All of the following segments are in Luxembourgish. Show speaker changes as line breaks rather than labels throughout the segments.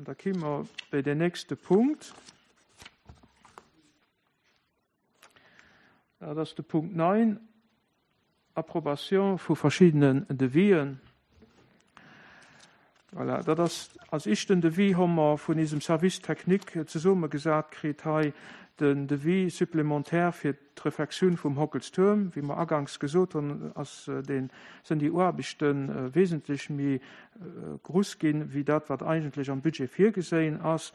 An da ki mer bei den nächste Punkt. Dat ass de Punkt 9, Approbation vu verschiddenen Devisen. Voilà, dat ass als éischten Devis hu mer vun eisem Service technique zesummegesat kritt hei den Devis supplémentaire fir d'Refectioun vum Hockelstuerm. Wéi mer aganks gesot hunn, ass deen, sinn déi Aarbechte wesentlech méi gruss ginn, wéi dat, wat eigentlech am Budget virgeséien ass.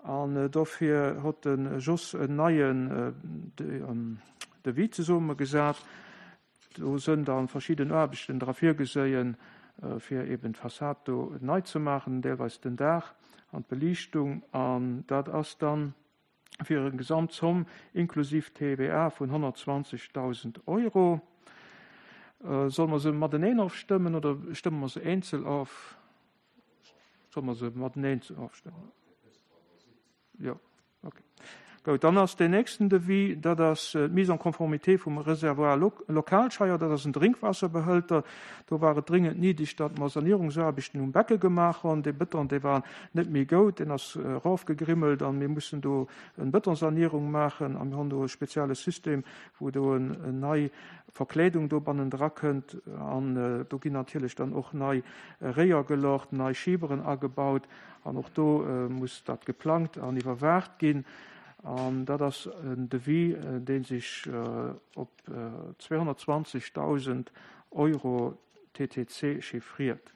An dofir hott de Jos en neien Devis zesummegesat. Do sënn dann verschidden Aarbechten dra virgeséien, fir eben d'Fassad do nei ze maachen, deelweis den Daach an d'Beliichtung. An dat ass dann fir e Gesamtzomm inklusiv TVA vun 120.000 Euro. Solle mer se mateneen ofstëmmen oder stëmme mer se eenzel of? Solle mer se mateneen ofstëmmen? Jo, okay. Gout, dann ass deen nächsten Devis, dat ass d'Mise en conformité vum Réservoir Lokalscheier, dat ass en Drénkwaasserbehälter. Do war et dringend niedeg, datt mer Sanierungsaarbechten um Becke gemaach hunn. Dee Bëton, dee war net méi gout, deen ass erofgegrimmelt an mir mussen do en Bëtonsanierung maachen a mir hunn do e spezielle System, wou do en nei Verkleedung do bannendra kënnt an do ginn natierlech dann och nei Réier gelocht, nei Schiberen agebaut. An och do muss dat geplangt an iwwerwaacht ginn. An dat ass en Devis, dee sech op 220.000 Euro TTC chiffriert.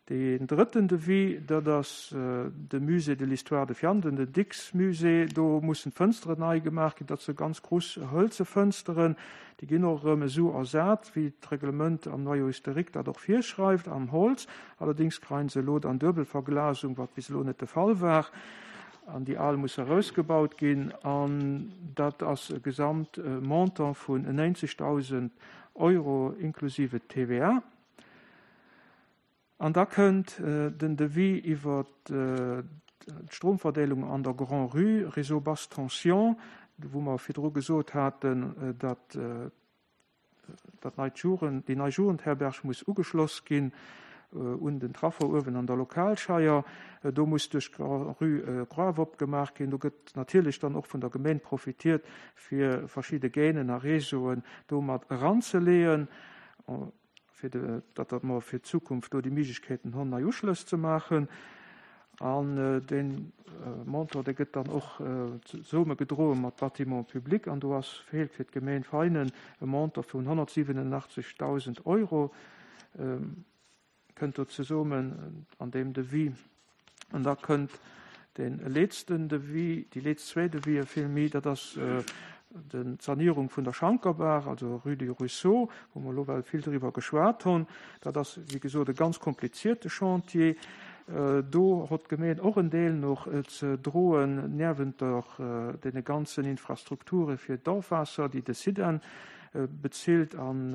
Deen drëtten Devis, dat ass de Musée de l'Histoire de Vianden, den Dicks-Musée. Do mussen d'Fënsteren nei gemaach ginn. Dat si ganz grouss hëlze Fënsteren. Déi ginn och erëm esou ersat, wéi d'Reglement am Noyau historique dat och virschreift, am Holz. Allerdéngs kreien se elo dann Duebelverglasung, wat bis elo net de Fall war. An déi al muss erausgebaut ginn. An dat ass e Gesamtmontant vun 90.000 Euro inklusive TVA. An da kënnt den Devis iwwer d'Stromverdeelung an der Grand-Rue, Réseau basse tension, wou mer virdru gesot haten, datt dat neit Jugend, déi nei Jugendherberg muss ugeschloss ginn un den Traffo uewen an der Lokalscheier. Do muss duerch d'Grand-Rue e Grauf opgemaach ginn. Do gëtt natierlech dann och vun der Gemeen profitiert, fir verschidde Gainen a Réseauen do mat eranzeleeën. fir datt mer fir d'Zukunft do déi Méiglechkeeten hunn, nei Uschlëss ze maachen. An dee Montant, dee gëtt dann och zesumme gedroe mat Bâtiments publics. An do ass, feelt fir d'Gemeng Veinen e Montant vun 187.000 Euro. Kënnt do zesummen an deem Devis. An da kënnt dee letzten Devis, déi letzt zwee Devisë villméi, dat ass d'Sanierung vun der Schankerbaach, also Rue du Ruisseau, wou mer elo well vill driwwer geschwat hunn. Dat ass, wéi gesot, e ganz komplizierte Chantier. Do hott d'Gemeen och en Deel nach ze droen, niewent der deene ganzen Infrastrukture fir d'Ofwaasser, déi de SIDEN bezilt an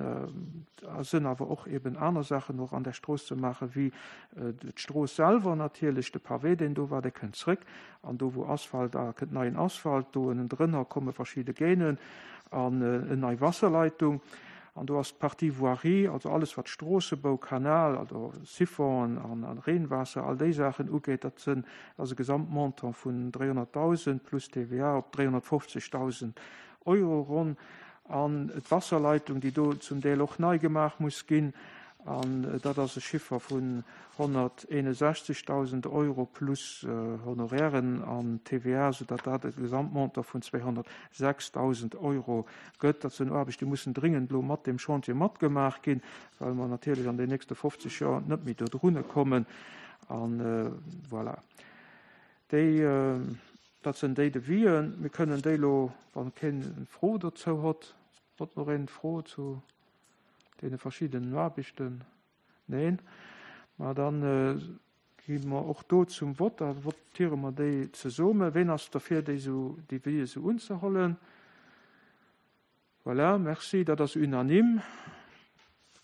a sënn awer och eben aner Saachen och an der Strooss ze maachen, wéi d'Strooss selwer natierlech, de Pavé, deen do war, dee kënnt zrëck an do wou Asphalt a kënnt neien Asphalt, do ënnendrënner komme verschidde Gainen an en nei Wasserleitung. An do ass d'Partie Voirie, also alles wat Stroossebau, Kanal, also Siphonen an an Reenwaasser, all déi Saachen ugeet, dat sënn ass e Gesamtmontant vun 300.000 plus TVA op 350.000 Euro ronn. An d'Wasserleitung, déi do zum Deel och nei gemaach muss ginn, an dat ass e Chiffer vun 161.000 Euro plus Honorairen an TVA, soudatt dat e Gesamtmontant vun 206.000 Euro gëtt. Dat sinn Aarbechten, déi mussen dringend elo mat deem Chantier matgemaach ginn, well mer natierlech an den nächste 50 Joer net méi dodrunne kommen. An voilà. Déi, dat sinn déi Devisen. Mir kënnen déi elo, wa keen eng Fro dozou hott, hott nach een Fro zu deene verschiddenen Aarbechten? Neen? Ma dann gi mer och do zum Vott. Da votiere mer déi zesumme. Ween ass derfir, déi esou, déi Devis esou unzehollen? Voilà, merci, dat ass unanime.